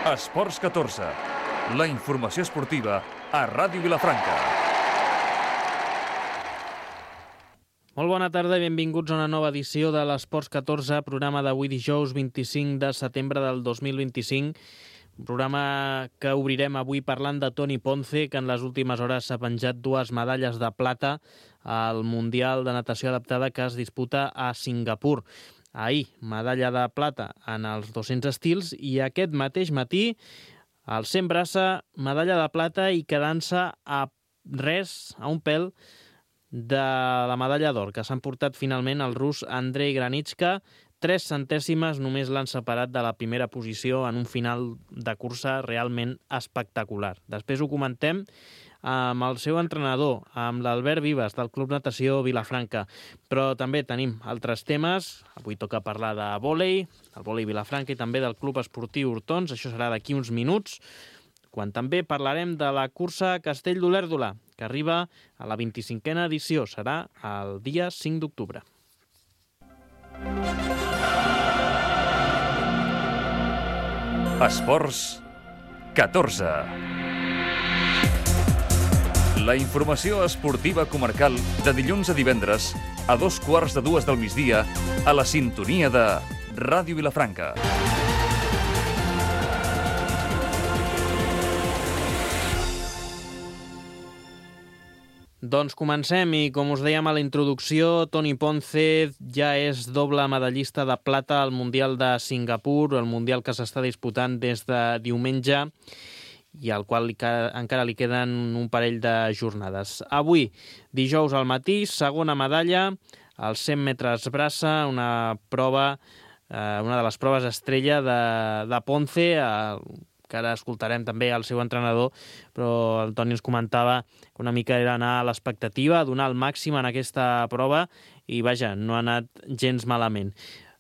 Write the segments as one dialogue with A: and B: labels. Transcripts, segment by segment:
A: Esports 14, la informació esportiva a Ràdio Vilafranca.
B: Molt bona tarda i benvinguts a una nova edició de l'Esports 14, programa d'avui dijous 25 de setembre del 2025. Un programa que obrirem avui parlant de Toni Ponce, que en les últimes hores s'ha penjat 2 medalles de plata al Mundial de Natació Adaptada que es disputa a Singapur. Ahir, medalla de plata en els 200 estils i aquest mateix matí, al 100 braça, medalla de plata i quedant-se a res, a un pèl, de la medalla d'or, que s'han portat finalment el rus Andrei Granitska. 3 centèsimes només l'han separat de la primera posició en un final de cursa realment espectacular. Després ho comentem amb el seu entrenador, amb l'Albert Vives, del Club Natació Vilafranca. Però també tenim altres temes. Avui toca parlar de vòlei, del vòlei Vilafranca i també del Club Esportiu Hortons. Això serà d'aquí uns minuts, quan també parlarem de la cursa Castell d'Olèrdola, que arriba a la 25a edició. Serà el dia 5 d'octubre.
A: Esports 14. La informació esportiva comarcal de dilluns a divendres a 2:15 del migdia a la sintonia de Ràdio Vilafranca.
B: Doncs comencem i, com us dèiem a la introducció, Toni Ponce ja és doble medallista de plata al Mundial de Singapur, el Mundial que s'està disputant des de diumenge i al qual encara li queden un parell de jornades. Avui, dijous al matí, segona medalla, als 100 metres braça, una de les proves estrella de Ponce, que ara escoltarem també el seu entrenador, però el Toni ens comentava que una mica era anar a l'expectativa, donar el màxim en aquesta prova i, vaja, no ha anat gens malament.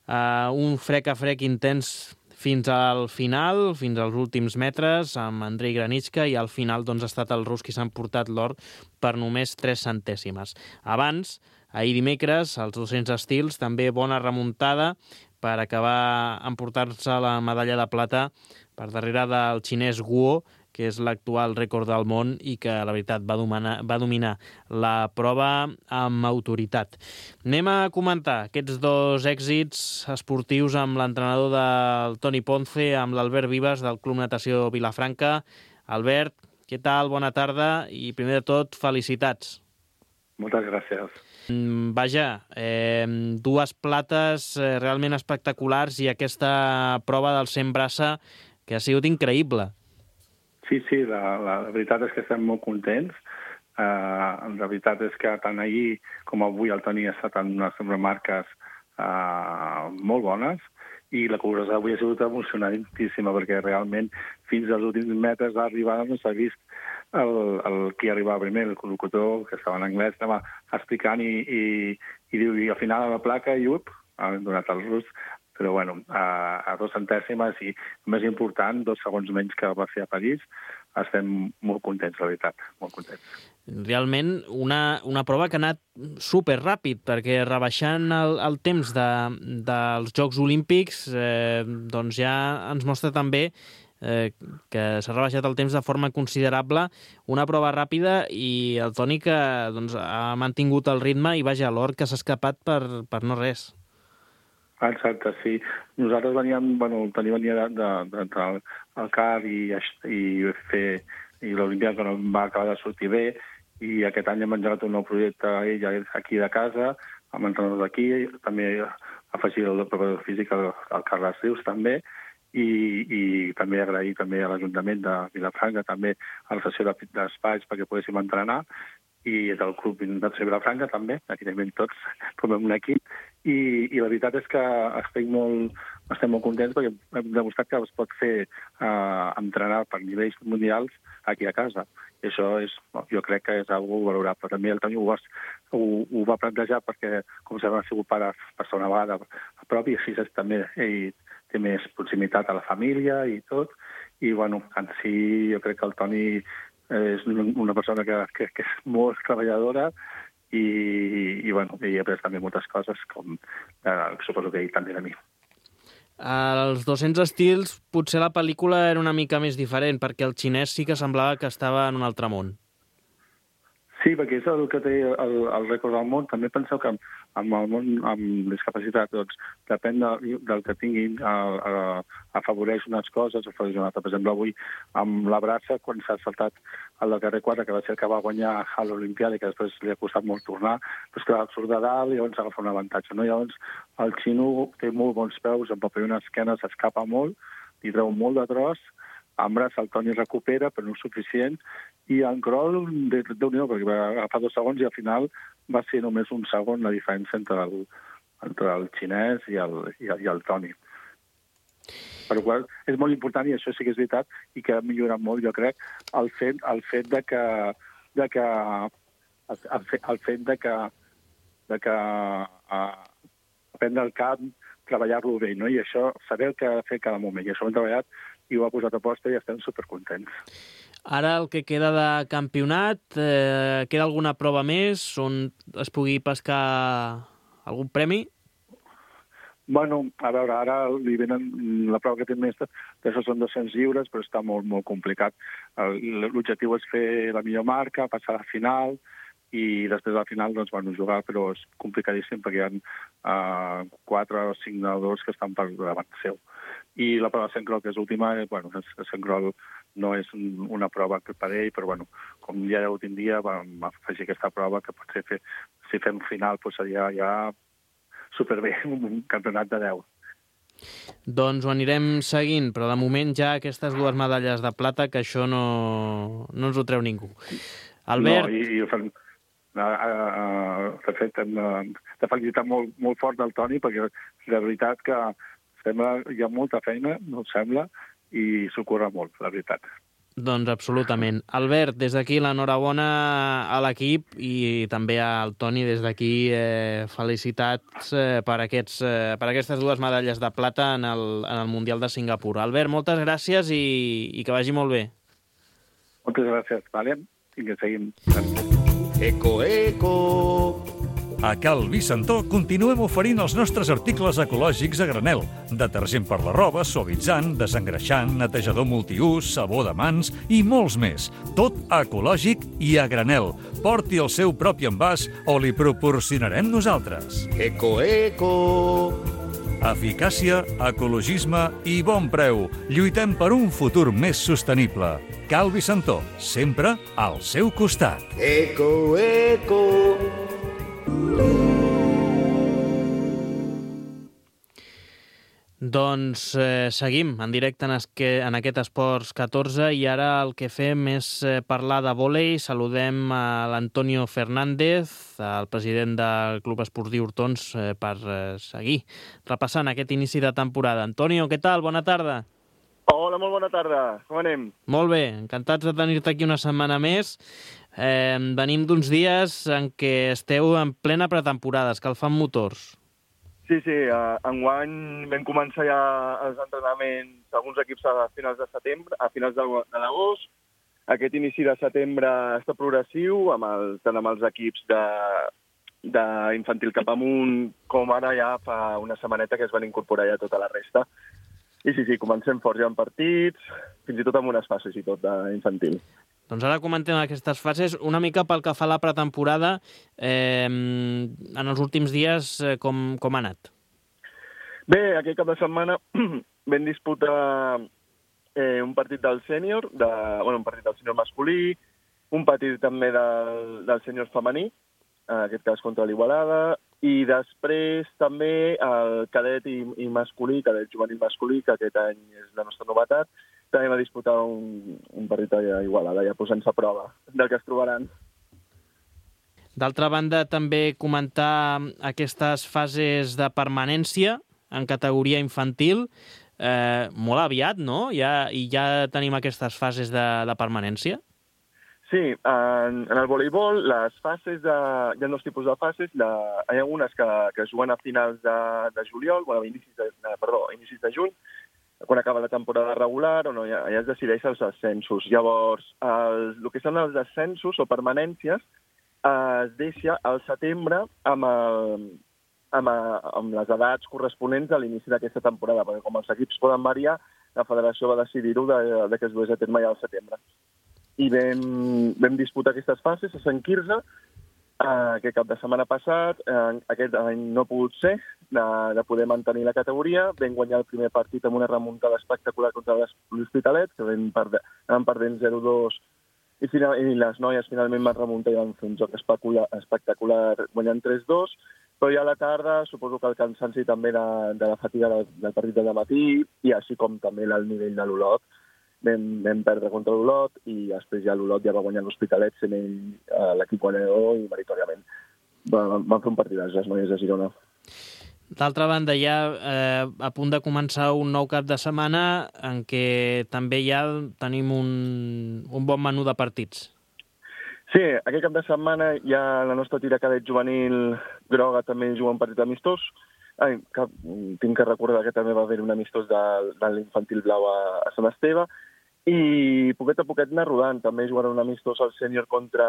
B: Un frec a frec intens fins al final, fins als últims metres, amb Andrei Granitska, i al final doncs, ha estat el rus qui s'han portat l'or per només 3 centèsimes. Abans, ahir dimecres, als 200 estils, també bona remuntada per acabar emportar-se la medalla de plata per darrere del xinès Guo, que és l'actual rècord del món i que, la veritat, va dominar la prova amb autoritat. Anem a comentar aquests 2 èxits esportius amb l'entrenador del Toni Ponce, amb l'Albert Vives, del Club Natació Vilafranca. Albert, què tal? Bona tarda i, primer de tot, felicitats.
C: Moltes gràcies.
B: Vaja, 2 plates realment espectaculars i aquesta prova del 100 braça que ha sigut increïble.
C: Sí, la veritat és que estem molt contents. La veritat és que tant ahir com avui el Toni ha estat en unes marques molt bones i la cursa d'avui ha sigut emocionantíssima perquè realment fins als últims metres d'arribada no s'ha vist el qui arribava primer, el locutor, que estava en anglès, estava explicant i diu, i al final a la placa, i han donat el rus, però bueno, a 2 centèsimes i, més important, 2 segons menys que va fer a París. Estem molt contents, la veritat, molt contents.
B: Realment, una prova que ha anat superràpid, perquè rebaixant el temps dels Jocs Olímpics, doncs ja ens mostra també que s'ha rebaixat el temps de forma considerable, una prova ràpida i el Toni que doncs, ha mantingut el ritme i, vaja, l'or que s'ha escapat per no res.
C: Exacte, sí. Nosaltres veníem, el Toni venia d'entrar al CAR i l'Olimpíada que no va acabar de sortir bé i aquest any hem engegat un nou projecte ell aquí de casa, amb entrenadors d'aquí, també afegir el preparador físic al Carles Rius també, i també agrair també a l'Ajuntament de Vilafranca també a la sessió d'espais perquè poguéssim entrenar i del Club Natació Vilafranca també, evidentment tots formem un equip i la veritat és que estem molt contents perquè hem demostrat que es pot fer entrenar per nivells mundials aquí a casa. I això jo crec que és algo valorable. També el Toni ho va plantejar perquè, com sabem, ha sigut pare per segona vegada a prop i així també ell té més proximitat a la família i tot. I, en si jo crec que el Toni és una persona que és molt treballadora i he après també moltes coses, com suposo que ell també de mi.
B: als 200 estils potser la pel·lícula era una mica més diferent, perquè el xinès sí que semblava que estava en un altre món.
C: Sí, perquè és el que té el rècord del món. També penseu que amb el món amb discapacitat, doncs, depèn del que tinguin, afavoreix unes coses, afavoreix una altra. Per exemple, avui amb la braça, quan s'ha saltat el del carrer 4, que va ser el que va guanyar a l'Olimpiada i que després li ha costat molt tornar, doncs que surt de dalt i llavors agafa un avantatge. No? Llavors, el xino té molt bons peus, amb paper una esquena s'escapa molt, li treu molt de tros, en braç el Toni recupera, però no és suficient, i en crawl, Déu-n'hi-do, perquè va agafar 2 segons i al final va ser només un segon la diferència entre el xinès i el Toni. Per la qual és molt important, i això sí que és veritat, i que ha millorat molt, jo crec, el fet de que aprendre el camp, treballar-lo bé, no? I això, saber el que ha de fer cada moment. I això ho hem treballat i ho ha posat a posta i estem supercontents.
B: Ara el que queda de campionat, queda alguna prova més on es pugui pescar algun premi?
C: Bueno, a veure, ara li venen la prova que té més, d'això són 200 lliures, però està molt, molt complicat. L'objectiu és fer la millor marca, passar a la final, i després a la final doncs, bueno, jugar, però és complicadíssim perquè hi ha 4 o 5 nedadors que estan per davant seu. I la prova de Sencrol, que és l'última, bueno, Sencrol no és una prova per ell, però bueno, com ja l'últim dia vam afegir aquesta prova que potser si fem final doncs seria ja superbé, un campionat de 10.
B: Doncs ho anirem seguint, però de moment ja aquestes 2 medalles de plata, que això no ens ho treu ningú. Albert...
C: No, de fet, hem de felicitar molt fort el Toni, perquè la veritat que hi ha molta feina, no et sembla, i s'ho curra molt, la veritat.
B: Doncs absolutament. Albert, des d'aquí l'enhorabona a l'equip i també al Toni, des d'aquí felicitats per aquestes 2 medalles de plata en el Mundial de Singapur. Albert, moltes gràcies i que vagi molt bé.
C: Moltes gràcies, vale? Vinga, seguim.
D: Eco, eco!
A: A Cal Vicentó continuem oferint els nostres articles ecològics a granel. Detergent per la roba, suavitzant, desengreixant, netejador multiús, sabó de mans i molts més. Tot ecològic i a granel. Porti el seu propi envàs o li proporcionarem nosaltres.
D: Eco, eco!
A: Eficàcia, ecologisme i bon preu. Lluitem per un futur més sostenible. Cal Vicentó, sempre al seu costat.
D: Eco, eco!
B: Doncs seguim en directe en aquest Esports 14 i ara el que fem és parlar de vòlei. Saludem a l'Antonio Fernández, el president del Club Esportiu Hortons, per seguir repassant aquest inici de temporada. Antonio, què tal? Bona tarda.
E: Hola, molt bona tarda. Com anem?
B: Molt bé, encantats de tenir-te aquí una setmana més. Venim d'uns dies en què esteu en plena pretemporada, escalfant motors.
E: Sí, enguany vam començar ja els entrenaments d'alguns equips a finals de setembre, a finals de l'agost. Aquest inici de setembre està progressiu, tant amb els equips d'infantil cap amunt, com ara ja fa una setmaneta que es van incorporar ja tota la resta. I sí, comencem fort ja en partits, fins i tot amb unes fases i tot d'infantil.
B: Doncs ara comentem aquestes fases. Una mica pel que fa a la pretemporada, en els últims dies, com ha anat?
E: Bé, aquest cap de setmana vam disputar un partit del sènior, un partit del sènior masculí, un partit també del sènior femení, en aquest cas contra l'Igualada, i després també el cadet i masculí, cadet juvenil masculí, que aquest any és la nostra novetat, també va disputar un partit a Igualada, ja posant-se a prova del que es trobaran.
B: D'altra banda, també comentar aquestes fases de permanència en categoria infantil, molt aviat, no? I ja tenim aquestes fases de permanència?
E: Sí, en el voleibol les fases, hi ha 2 tipus de fases. Hi ha unes que es juguen a finals de juliol, inicis de juny, quan acaba la temporada regular, on ja es decideix els ascensos. Llavors, el que són els ascensos o permanències es deixa al setembre amb amb les edats corresponents a l'inici d'aquesta temporada, perquè com els equips poden variar, la federació va decidir-ho que es dués a terme ja al setembre. I vam disputar aquestes fases a Sant Quirze, aquest cap de setmana passat, aquest any no ha pogut ser, de poder mantenir la categoria. Vam guanyar el primer partit amb una remuntada espectacular contra l'Hospitalet, que vam perdent 0-2, i les noies finalment van remuntar i van fer un joc espectacular guanyant 3-2, però ja a la tarda suposo que el cansanci també de la fatiga del partit de matí, i així com també el nivell de l'Olot, vam perdre contra l'Olot, i després ja l'Olot ja va guanyar l'Hospitalet, sent ell l'equip guanyador i meritoriament. Van fer un partidàs les noies de Girona.
B: D'altra banda, ja a punt de començar un nou cap de setmana en què també ja tenim un bon menú de partits.
E: Sí, aquest cap de setmana ja la nostra tira cadet juvenil groga també juga un partit amistós. Tinc que recordar que també va haver un amistós de l'infantil blau a Sant Esteve, i poquet a poquet anar rodant. També jugarà un amistós al sènior contra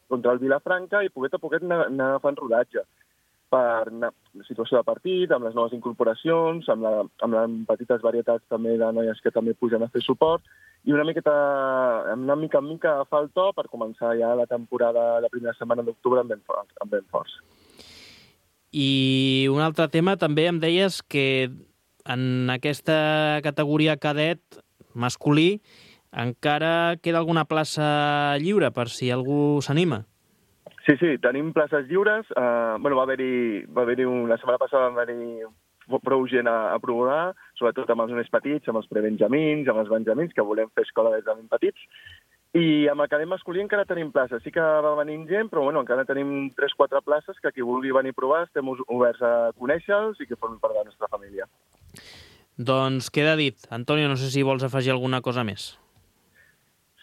E: el Vilafranca, i poquet a poquet anar agafant rodatge per la situació de partit, amb les noves incorporacions, amb les petites varietats també de noies que també pugen a fer suport, i una mica en mica agafar el to per començar ja la temporada, la primera setmana d'octubre amb ben forts.
B: I un altre tema, també em deies que en aquesta categoria cadet masculí encara queda alguna plaça lliure per si algú s'anima.
E: Sí, tenim places lliures. Va haver-hi la setmana passada va haver-hi prou gent a provar, sobretot amb els més petits, amb els prebenjamins, amb els benjamins, que volem fer escola des de ben petits. I amb el cadet masculí encara tenim places. Sí que va venir gent, però encara tenim 3-4 places que qui vulgui venir a provar estem oberts a conèixer-los i que formin part de la nostra família.
B: Doncs queda dit. Antonio, no sé si vols afegir alguna cosa més.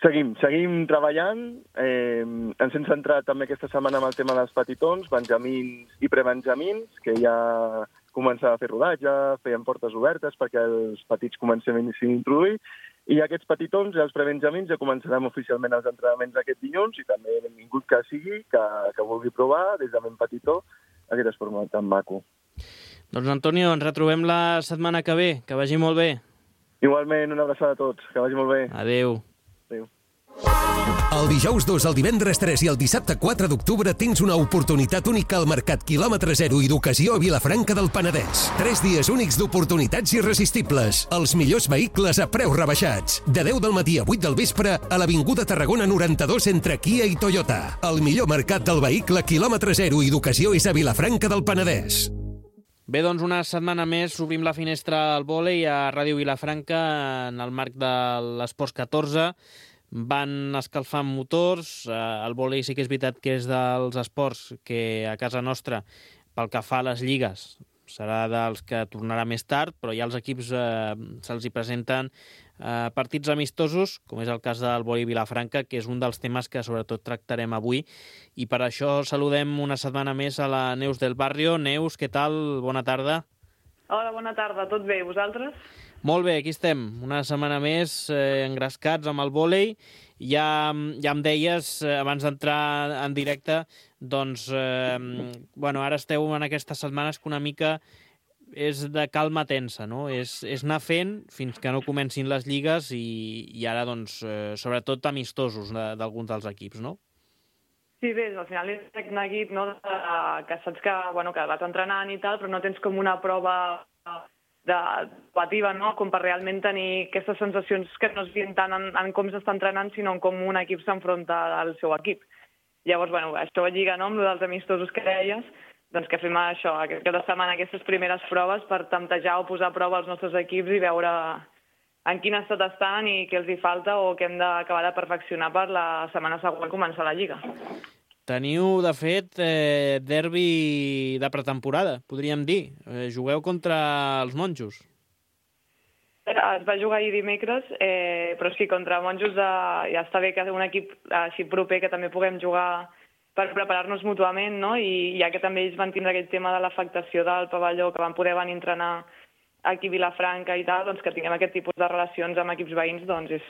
E: Seguim treballant. Ens hem centrat també aquesta setmana amb el tema dels petitons, benjamins i prebenjamins, que ja començava a fer rodatge, feien portes obertes perquè els petits comencem a introduir, i aquests petitons i els prebenjamins ja començarem oficialment els entrenaments aquest dilluns, i també benvingut que sigui, que vulgui provar des de ben petitó aquest esport tan maco.
B: Doncs Antonio, ens retrobem la setmana que ve. Que vagi molt bé.
E: Igualment, una abraçada a tots. Que vagi molt bé.
B: Adéu.
E: Adéu.
F: El dijous 2, el divendres 3 i el dissabte 4 d'octubre tens una oportunitat única al Mercat Quilòmetre Zero i d'Ocasió a Vilafranca del Penedès. 3 dies únics d'oportunitats irresistibles. Els millors vehicles a preus rebaixats. De 10 del matí a 8 del vespre a l'Avinguda Tarragona 92 entre Kia i Toyota. El millor mercat del vehicle Quilòmetre Zero i d'Ocasió és a Vilafranca del Penedès.
B: Bé, doncs una setmana més obrim la finestra al vòlei a Ràdio Vilafranca en el marc de l'Esports 14. Van escalfant motors. El vòlei sí que és veritat que és dels esports que a casa nostra, pel que fa a les lligues, serà dels que tornarà més tard, però ja els equips se'ls hi presenten partits amistosos, com és el cas del vòlei Vilafranca, que és un dels temes que sobretot tractarem avui. I per això saludem una setmana més a la Neus del Barrio. Neus, què tal? Bona tarda.
G: Hola, bona tarda. Tot bé, vosaltres?
B: Molt bé, aquí estem, una setmana més engrescats amb el vòlei. Ja em deies, abans d'entrar en directe, doncs, ara esteu en aquestes setmanes que una mica és de calma tensa, no? És anar fent fins que no comencin les lligues i ara, doncs, sobretot amistosos d'alguns dels equips, no?
G: Sí, bé, al final és un neguit, no?, que saps que vas entrenant i tal, però no tens com una prova debativa, no?, com per realment tenir aquestes sensacions que no es veien tant en com s'està entrenant, sinó en com un equip s'enfronta al seu equip. Llavors, això lliga, no?, amb els amistosos que deies, doncs que fem això, aquesta setmana, aquestes primeres proves per temptejar o posar a prova els nostres equips i veure en quin estat estan i què els hi falta o què hem d'acabar de perfeccionar per la setmana següent començar la Lliga.
B: Teniu, de fet, derbi de pretemporada, podríem dir. Jugueu contra els monjos.
G: Es va jugar ahir dimecres, però sí, contra monjos ja està bé que un equip així proper que també puguem jugar per preparar-nos mútuament, no? I ja que també ells van tindre aquell tema de l'afectació del pavelló, que van poder venir a entrenar aquí a Vilafranca i tal, doncs que tinguem aquest tipus de relacions amb equips veïns, doncs és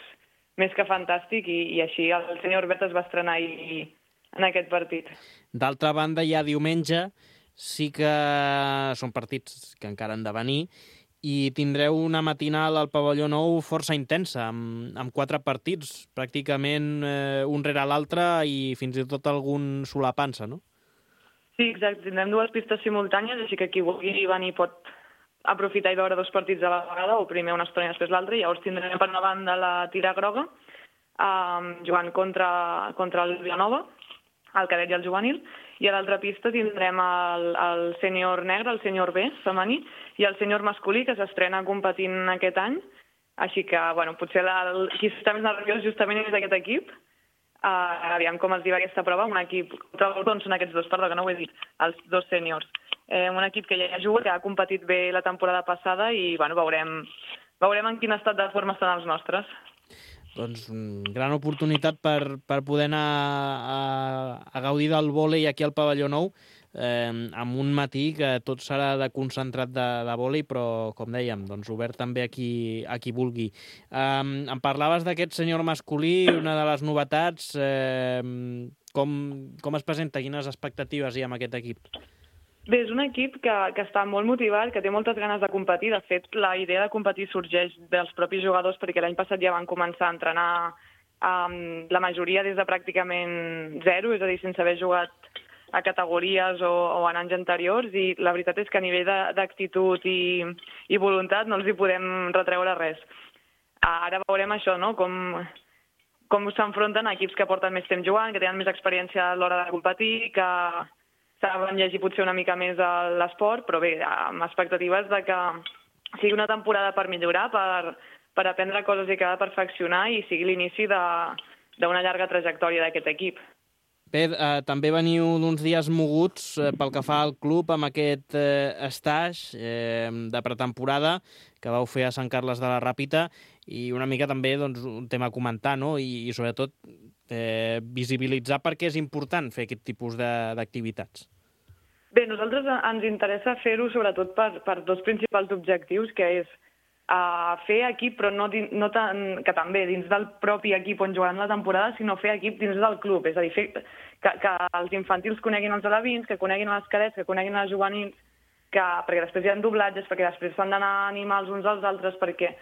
G: més que fantàstic i així el senyor Bert es va estrenar ahir en aquest partit.
B: D'altra banda, ja diumenge sí que són partits que encara han de venir, i tindreu una matinal al Pavelló Nou força intensa, amb 4 partits, pràcticament un rere l'altre i fins i tot algun solapant-se, no?
G: Sí, exacte. Tindrem 2 pistes simultànies, així que qui vulgui venir pot aprofitar i veure 2 partits a la vegada, o primer una estona i després l'altra, i llavors tindrem per una banda la Tira Groga, jugant contra el Vilanova, el cadet i el juvenil, i a l'altra pista tindrem el sènior negre, el sènior B, femení, i el sènior masculí, que s'estrena competint aquest any, així que, bueno, potser qui està més nerviós justament és aquest equip. Aviam com els diu aquesta prova, un equip, on són aquests 2, perdó, que no ho he dit, els 2 sèniors. Un equip que ja juga, que ha competit bé la temporada passada i, bueno, veurem en quin estat de forma estan els nostres.
B: Doncs gran oportunitat per poder anar a gaudir del vòlei aquí al Pavelló Nou, amb un matí que tot serà de concentrat de vòlei, però, com dèiem, doncs obert també a qui vulgui. Em parlaves d'aquest sènior masculí, una de les novetats. Com es presenta? Quines expectatives hi ha amb aquest equip?
G: Bé, és un equip que està molt motivat, que té moltes ganes de competir. De fet, la idea de competir sorgeix dels propis jugadors, perquè l'any passat ja van començar a entrenar la majoria des de pràcticament 0, és a dir, sense haver jugat a categories o en anys anteriors, i la veritat és que a nivell d'actitud i voluntat no els hi podem retreure res. Ara veurem això, no?, com s'enfronten a equips que porten més temps jugant, que tenen més experiència a l'hora de competir, que saben llegir potser una mica més l'esport, però bé, amb expectatives de que sigui una temporada per millorar, per aprendre coses i acabar de perfeccionar, i sigui l'inici d'una llarga trajectòria d'aquest equip.
B: Bé, també veniu d'uns dies moguts pel que fa al club amb aquest stage de pretemporada que vau fer a Sant Carles de la Ràpita, i una mica també un tema a comentar, no? I sobretot visibilitzar per què és important fer aquest tipus d'activitats.
G: Bé, a nosaltres ens interessa fer-ho sobretot per 2 principals objectius, que és fer equip, però no tant que també dins del propi equip on jugaran la temporada, sinó fer equip dins del club, és a dir, fer que els infantils coneguin els alevins, que coneguin els cadets, que coneguin els juvenils, perquè després hi ha doblatges, perquè després s'han d'anar a animar els uns als altres, perquè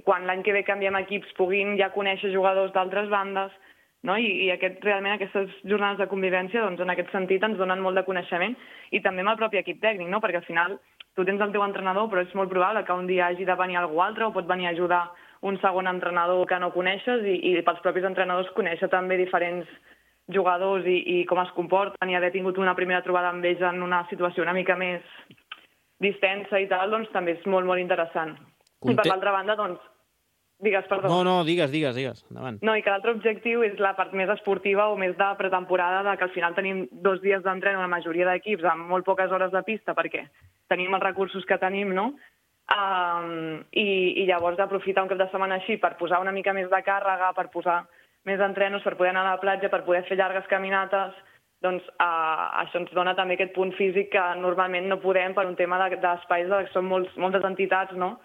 G: quan l'any que ve canviem equips puguin ja conèixer jugadors d'altres bandes, no? I realment aquestes jornades de convivència, doncs, en aquest sentit ens donen molt de coneixement, i també amb el propi equip tècnic, no? Perquè al final tu tens el teu entrenador, però és molt probable que un dia hagi de venir algú altre, o pot venir a ajudar un segon entrenador que no coneixes, i pels propis entrenadors conèixer també diferents jugadors i com es comporten, i haver tingut una primera trobada amb ells en una situació una mica més distensa i tal, doncs també és molt, molt interessant. I per l'altra banda, doncs, digues, perdó.
B: No, digues, endavant.
G: No, i que l'altre objectiu és la part més esportiva o més de pretemporada, que al final tenim 2 dies d'entren a la majoria d'equips amb molt poques hores de pista, perquè tenim els recursos que tenim, no? I llavors aprofitar un cap de setmana així per posar una mica més de càrrega, per posar més entrenos, per poder anar a la platja, per poder fer llargues caminates, doncs això ens dona també aquest punt físic que normalment no podem per un tema d'espais, que són moltes entitats, no?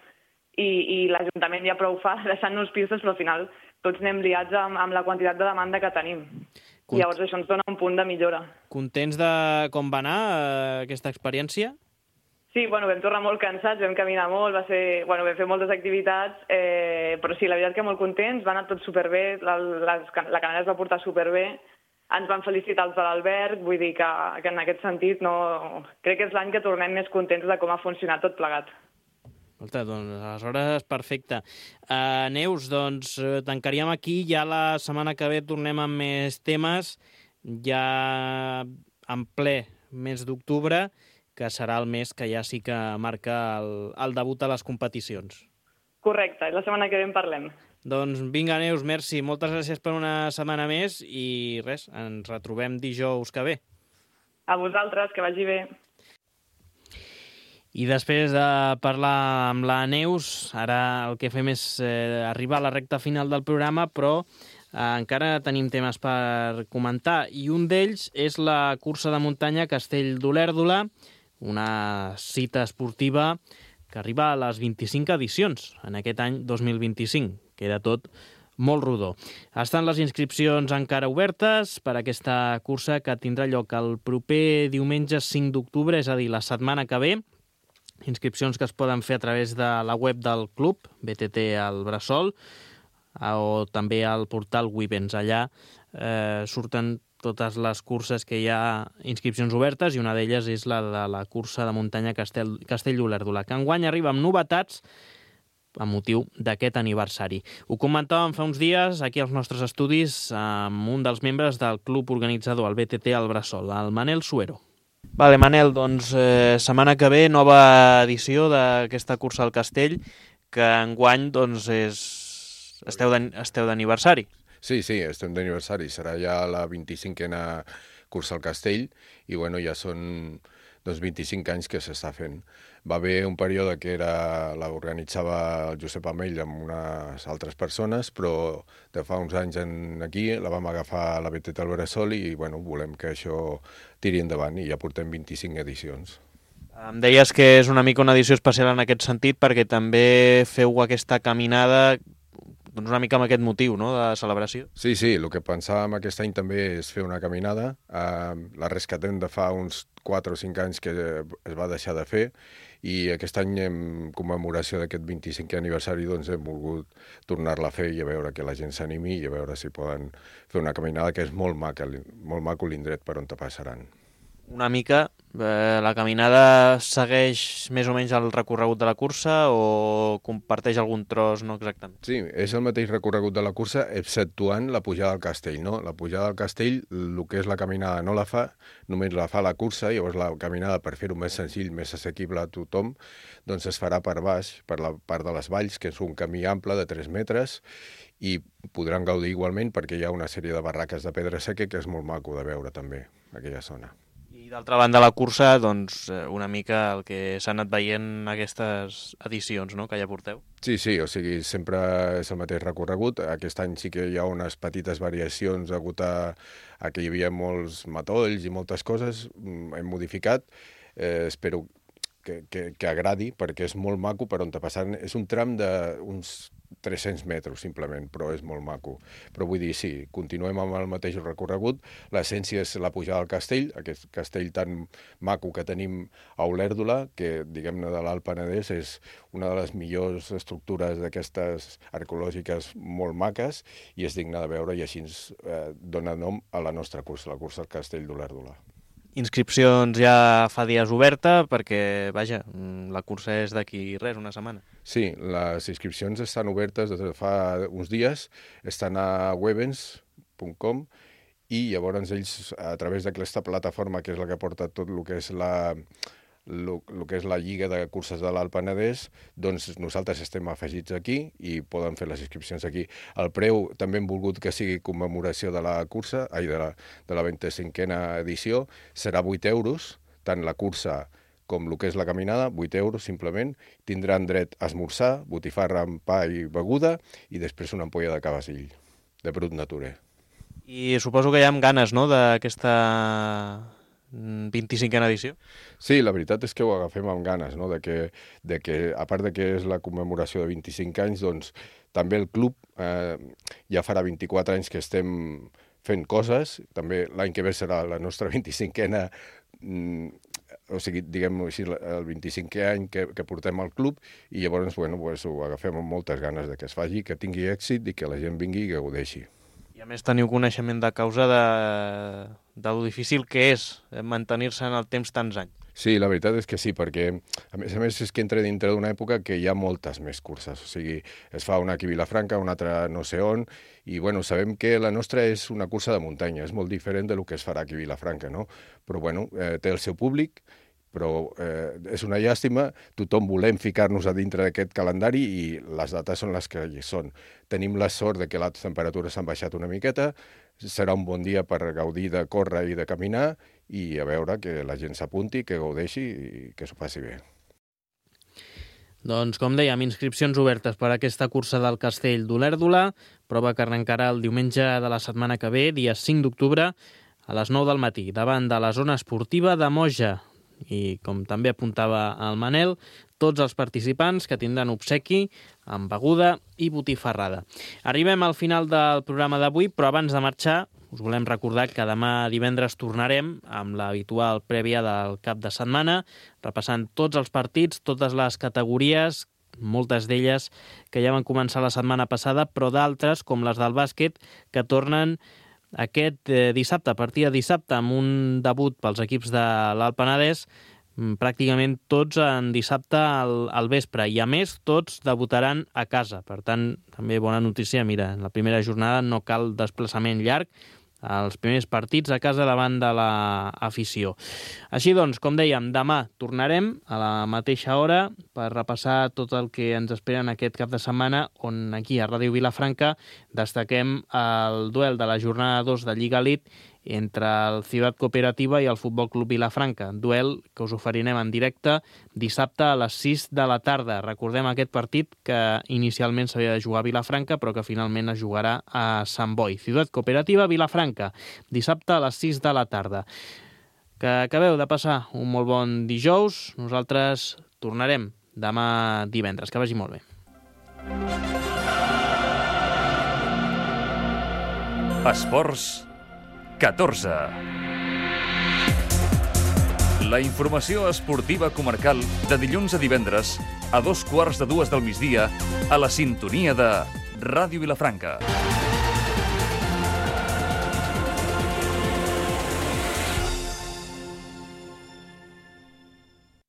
G: I l'Ajuntament ja prou fa deixant-nos pistes, però al final tots anem liats amb la quantitat de demanda que tenim. I llavors això ens dona un punt de millora.
B: Contents de com va anar aquesta experiència?
G: Sí, bueno, vam tornar molt cansats, vam caminar molt, vam fer moltes activitats, però sí, la veritat que molt contents, va anar tot superbé, la canalla es va portar superbé, ens van felicitar els de l'Alberg, vull dir que en aquest sentit crec que és l'any que tornem més contents de com ha funcionat tot plegat.
B: Escolta, doncs aleshores perfecte. Neus, doncs tancaríem aquí, ja la setmana que ve tornem amb més temes, ja en ple mes d'octubre, que serà el mes que ja sí que marca el debut a les competicions.
G: Correcte, la setmana que ve en parlem.
B: Doncs vinga, Neus, merci. Moltes gràcies per una setmana més i res, ens retrobem dijous que ve.
G: A vosaltres, que vagi bé.
B: I després de parlar amb la Neus, ara el que fem és arribar a la recta final del programa, però encara tenim temes per comentar. I un d'ells és la cursa de muntanya Castell d'Olèrdola, una cita esportiva que arriba a les 25 edicions en aquest any 2025. Queda tot molt rodó. Estan les inscripcions encara obertes per aquesta cursa que tindrà lloc el proper diumenge 5 d'octubre, és a dir, la setmana que ve. Inscripcions que es poden fer a través de la web del club, BTT al Bressol, o també al portal Wibens. Allà surten totes les curses que hi ha inscripcions obertes i una d'elles és la de la cursa de muntanya Castell d'Olèrdola, que enguany arriba amb novetats amb motiu d'aquest aniversari. Ho comentàvem fa uns dies aquí als nostres estudis amb un dels membres del club organitzador, el BTT al Bressol, el Manel Suero. Vale, Manel, doncs setmana que ve nova edició d'aquesta cursa al Castell, que enguany doncs esteu d'aniversari.
H: Sí, estem d'aniversari. Serà ja la 25a cursa al Castell i bueno, ja són 25 anys que s'està fent. Va haver un període que l'organitzava el Josep Amell amb unes altres persones, però de fa uns anys aquí la vam agafar a la BTT al Bressol i bueno, volem que això tiri endavant i ja portem 25 edicions.
B: Em deies que és una mica una edició especial en aquest sentit perquè també feu aquesta caminada doncs una mica amb aquest motiu, no?, de celebració.
H: Sí, el que pensàvem aquest any també és fer una caminada. La rescatem de fa uns 4 o 5 anys que es va deixar de fer i aquest any, en commemoració d'aquest 25è aniversari, doncs hem volgut tornar-la a fer i a veure que la gent s'animi i a veure si poden fer una caminada que és molt maco l'indret per on te passaran.
B: Una mica, la caminada segueix més o menys el recorregut de la cursa o comparteix algun tros, no exactament?
H: Sí, és el mateix recorregut de la cursa, exceptuant la pujada al castell, no? La pujada al castell, el que és la caminada no la fa, només la fa la cursa, llavors la caminada, per fer-ho més senzill, més assequible a tothom, doncs es farà per baix, per la part de les valls, que és un camí ample de 3 metres, i podran gaudir igualment perquè hi ha una sèrie de barraques de pedra seca que és molt maco de veure també, aquella zona.
B: I d'altra banda la cursa, doncs una mica el que s'ha anat veient aquestes edicions, no?, que ja porteu.
H: Sí, o sigui, sempre és el mateix recorregut. Aquest any sí que hi ha unes petites variacions degut a que hi havia molts matolls i moltes coses, hem modificat. Espero que agradi, perquè és molt maco per on te passen. És un tram d'uns 300 metres, simplement, però és molt maco. Però vull dir, sí, continuem amb el mateix recorregut. L'essència és la pujada al castell, aquest castell tan maco que tenim a Olèrdola, que, diguem-ne, de l'Alt Penedès és una de les millors estructures d'aquestes arqueològiques molt maques i és digne de veure i així ens dona nom a la nostra cursa, la cursa al Castell d'Olèrdola.
B: Inscripcions ja fa dies oberta perquè, vaja, la cursa és d'aquí res, una setmana.
H: Sí, les inscripcions estan obertes des de fa uns dies, estan a webens.com i llavors ells, a través d'aquesta plataforma, que és la que porta tot el que és la Lliga de Curses de l'Alt Penedès, doncs nosaltres estem afegits aquí i poden fer les inscripcions aquí. El preu també hem volgut que sigui commemoració de la cursa, de la 25a edició, serà 8 euros, tant la cursa com el que és la caminada, 8 euros simplement, tindran dret a esmorzar, botifarra amb pa i beguda i després una ampolla de cavassill, de brut naturer.
B: I suposo que hi ha ganes, no?, d'aquesta 25a edició?
H: Sí, la veritat és que ho agafem amb ganes, no?, de que a part de que és la commemoració de 25 anys, doncs també el club ja farà 24 anys que estem fent coses, també l'any que ve serà la nostra 25a, o sigui, diguem-ho així, el 25è any que portem al club i llavors, bueno, ho agafem amb moltes ganes de que es faci, que tingui èxit i que la gent vingui i que gaudeixi.
B: I a més teniu coneixement de causa de lo difícil que és mantenir-se en el temps tants anys.
H: Sí, la veritat és que sí, perquè a més és que entra dintre d'una època que hi ha moltes més curses. O sigui, es fa una aquí a Vilafranca, una altra no sé on, i bueno, sabem que la nostra és una cursa de muntanya, és molt diferent del que es farà aquí a Vilafranca, no? Però bueno, té el seu públic, però és una llàstima, tothom volem ficar-nos a dintre d'aquest calendari i les dates són les que hi són. Tenim la sort de que les temperatures s'han baixat una miqueta, serà un bon dia per gaudir de córrer i de caminar i a veure que la gent s'apunti, que gaudeixi i que s'ho faci bé.
B: Doncs, com dèiem, inscripcions obertes per a aquesta cursa del Castell d'Olèrdola, prova que arrencarà el diumenge de la setmana que ve, dia 5 d'octubre, a les 9 del matí, davant de la zona esportiva de Moja. i com també apuntava el Manel, tots els participants que tindran obsequi amb beguda i botifarrada. Arribem al final del programa d'avui, però abans de marxar us volem recordar que demà divendres tornarem amb l'habitual prèvia del cap de setmana, repassant tots els partits, totes les categories, moltes d'elles que ja van començar la setmana passada, però d'altres, com les del bàsquet, que tornen aquest dissabte, a partir de dissabte, amb un debut pels equips de l'Alt Penedès, pràcticament tots en dissabte al vespre, i a més tots debutaran a casa. Per tant, també bona notícia, mira, en la primera jornada no cal desplaçament llarg, els primers partits a casa davant de l'afició. Així doncs, com dèiem, demà tornarem a la mateixa hora per repassar tot el que ens espera en aquest cap de setmana, on aquí a Ràdio Vilafranca destaquem el duel de la jornada 2 de Lliga Elite entre el Ciutat Cooperativa i el Futbol Club Vilafranca. Duel que us oferirem en directe dissabte a les 6 de la tarda. Recordem aquest partit que inicialment s'havia de jugar a Vilafranca, però que finalment es jugarà a Sant Boi. Ciutat Cooperativa Vilafranca, dissabte a les 6 de la tarda. Que acabeu de passar un molt bon dijous. Nosaltres tornarem demà divendres. Que vagi molt bé.
A: Esports 14. La informació esportiva comarcal de dilluns a divendres a 2:15 del migdia a la sintonia de Ràdio Vilafranca.